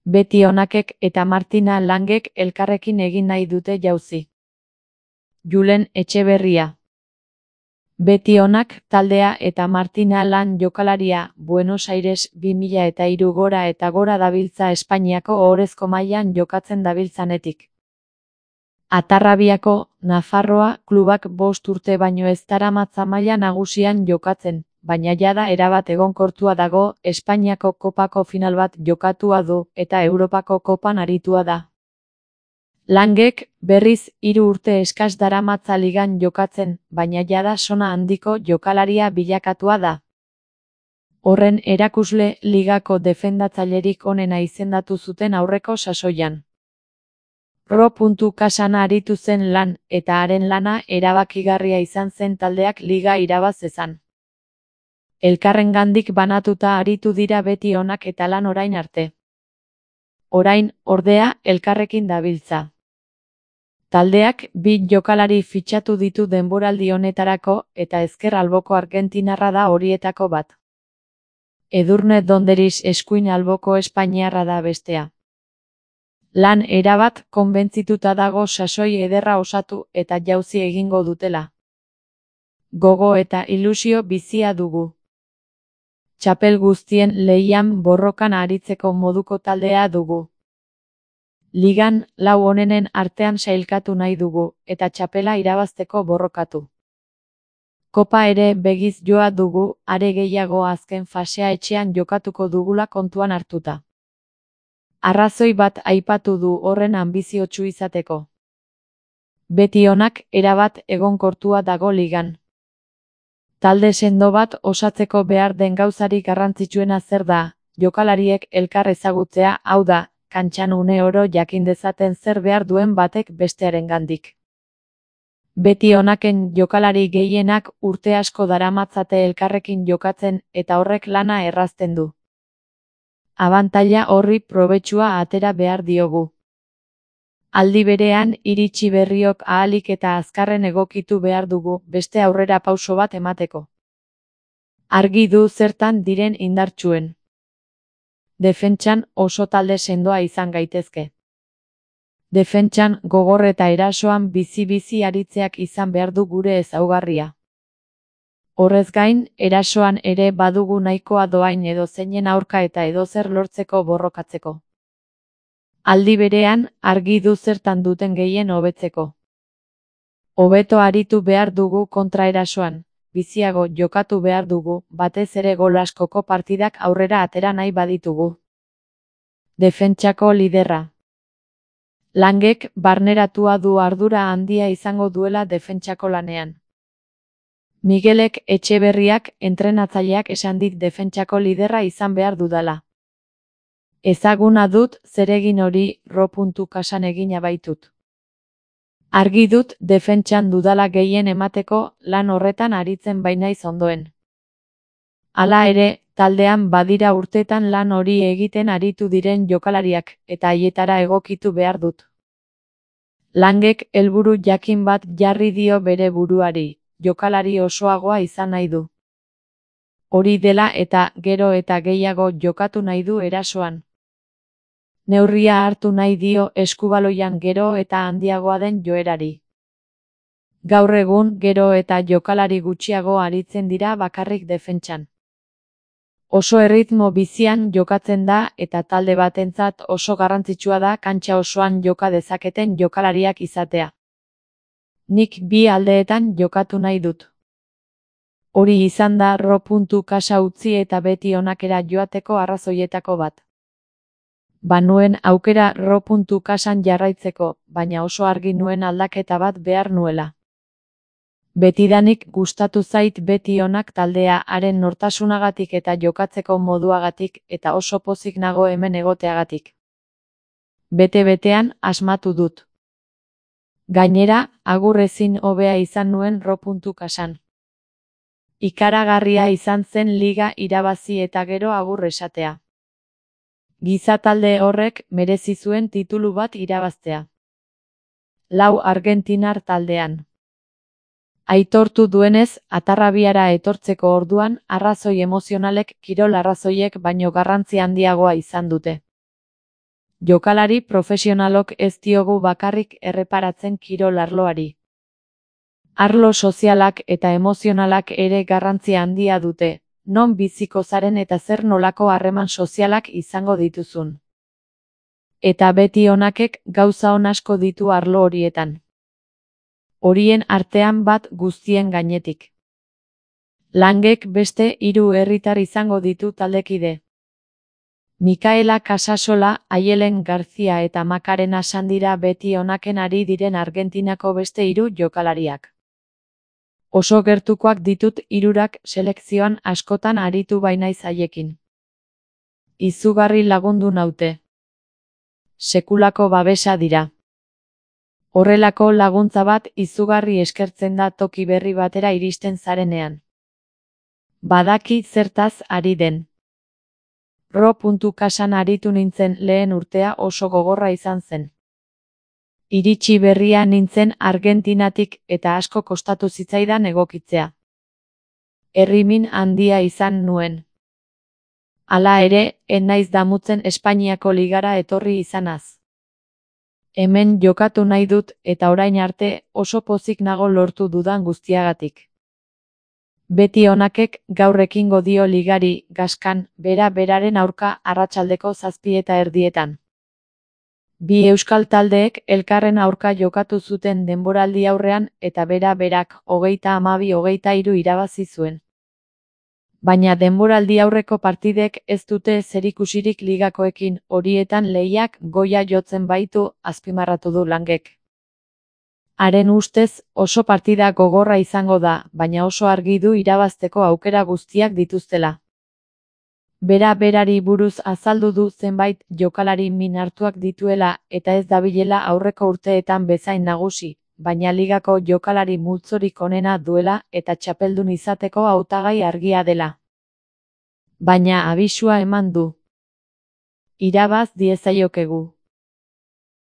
Beti Onakek eta Martina Langek elkarrekin egin nahi dute jauzi. Julen Etxeberria. Beti Onak taldea eta Martina Lang jokalaria Buenos Aires 2003 gora eta gora dabiltza Espainiako ohorezko mailan jokatzen dabiltzanetik. Atarrabiako, Nafarroa, klubak 5 urte baino ez daramatza maila nagusian jokatzen, baina jada erabat egonkortua dago, Espainiako kopako final bat jokatua du eta Europako kopan aritua da. Langek, berriz, 3 urte eskas daramatza ligan jokatzen, baina jada sona handiko jokalaria bilakatua da. Horren erakusle ligako defendatzailerik onena izendatu zuten aurreko sasoian. Ro.Kasana aritu zen Lan, eta haren lana erabakigarria izan zen taldeak liga irabaz zezan. Elkarrengandik banatuta aritu dira Beti Onak eta Lan orain arte. Orain, ordea, elkarrekin dabiltza. Taldeak 2 jokalari fitxatu ditu denboraldi honetarako eta ezker alboko argentinarra da horietako bat. Edurne Donderis eskuin alboko espainiarra da bestea. Lan erabat konbentzituta dago sasoi ederra osatu eta jauzi egingo dutela. Gogo eta ilusio bizia dugu. Txapel guztien lehian borrokan aritzeko moduko taldea dugu. Ligan, 4 onenen artean sailkatu nahi dugu, eta txapela irabazteko borrokatu. Kopa ere begiz joa dugu, are gehiago azken fasea etxean jokatuko dugula kontuan hartuta. Arrazoi bat aipatu du horren anbiziotsu izateko. Beti Onak erabat egonkortua dago ligan. Talde sendo bat osatzeko behar den gauzarik garrantzitsuena zer da, jokalariek elkar ezagutzea, hau da, kantxan une oro jakin dezaten zer behar duen batek bestearengandik. Beti Onaken jokalari gehienak urte asko daramatzate elkarrekin jokatzen eta horrek lana errazten du. Abantaila horri probetxua atera behar diogu. Aldi berean, iritsi berriok ahalik eta azkarren egokitu behar dugu beste aurrera pauso bat emateko. Argi du zertan diren indartsuen. Defentsan oso talde sendoa izan gaitezke. Defentsan gogor eta erasoan bizi-bizi aritzeak izan behar du gure ezaugarria. Horrez gain, erasoan ere badugu nahikoa doain edo zeinen aurka eta edozer lortzeko borrokatzeko. Aldi berean, argi du zertan duten gehien hobetzeko. Hobeto aritu behar dugu kontraerasoan, biziago jokatu behar dugu, batez ere gol askoko partidak aurrera atera nahi baditugu. Defentsako liderra. Langek barneratua du ardura handia izango duela defentsako lanean. Miguelek Etxeberriak entrenatzaileak esan dit defentsako liderra izan behar dudala. Ezaguna dut zeregin hori Ro.Kasan egina baitut. Argi dut defentsan dudala gehien emateko lan horretan aritzen bainaiz ondoen. Hala ere, taldean badira urtetan lan hori egiten aritu diren jokalariak eta haietara egokitu behar dut. Langek helburu jakin bat jarri dio bere buruari. Jokalari osoagoa izan nahi du. Hori dela eta gero eta gehiago jokatu nahi du erasoan. Neurria hartu nahi dio eskubaloian gero eta handiagoa den joerari. Gaur egun gero eta jokalari gutxiago aritzen dira bakarrik defentsan. Oso erritmo bizian jokatzen da eta talde batentzat oso garrantzitsua da kantxa osoan joka dezaketen jokalariak izatea. Nik 2 aldeetan jokatu nahi dut. Hori izan da Ro.Kasa utzi eta Beti Onakera joateko arrazoietako bat. Banuen aukera Ro.Kasan jarraitzeko, baina oso argi nuen aldaketa bat behar nuela. Betidanik gustatu zait Beti Onak taldea haren nortasunagatik eta jokatzeko moduagatik eta oso pozik nago hemen egoteagatik. Bete-betean asmatu dut. Gainera, agur ezin hobea izan nuen Ro.Kasan. Ikaragarria izan zen liga irabazi eta gero agur esatea. Giza talde horrek merezi zuen titulu bat irabaztea. 4 argentinar taldean. Aitortu duenez, Atarrabiara etortzeko orduan, arrazoi emozionalek kirol arrazoiek baino garrantzi handiagoa izan dute. Jokalari profesionalok ez diogu bakarrik erreparatzen kirol arloari. Arlo sozialak eta emozionalak ere garrantzia handia dute, non biziko zaren eta zer nolako harreman sozialak izango dituzun. Eta beti onakek gauza on asko ditu arlo horietan. Horien artean bat guztien gainetik. Langek beste 3 herritar izango ditu taldekide. Mikaela Casasola, Aielen Garzia eta Macarena Sandira beti onaken ari diren Argentinako beste 3 jokalariak. Oso gertukoak ditut 3 selekzioan askotan aritu bainaiz haiekin. Izugarri lagundu naute. Sekulako babesa dira. Horrelako laguntza bat izugarri eskertzen da toki berri batera iristen zarenean. Badaki zertaz ari den. Kasan aritu nintzen lehen urtea oso gogorra izan zen. Iritsi berria nintzen Argentinatik eta asko kostatu zitzaidan egokitzea. Errimin handia izan nuen. Hala ere, ez naiz damutzen Espainiako ligara etorri izanaz. Hemen jokatu nahi dut eta orain arte oso pozik nago lortu dudan guztiagatik. Beti onakek gaur ekingo dio ligari Gaskan beraren aurka arratsaldeko 7:30. 2 euskal taldeek elkarren aurka jokatu zuten denboraldi aurrean eta berak 32-23 irabazi zuen. Baina denboraldi aurreko partidek ez dute zerikusirik ligakoekin, horietan lehiak goia jotzen baitu, azpimarratu du Langek. Haren ustez, oso partida gogorra izango da, baina oso argi du irabazteko aukera guztiak dituztela. Berari buruz azaldu du zenbait jokalari min hartuak dituela eta ez dabilela aurreko urteetan bezain nagusi, baina ligako jokalari multzorik onena duela eta txapeldun izateko hautagai argia dela. Baina abisua eman du. Irabaz diezaiokegu.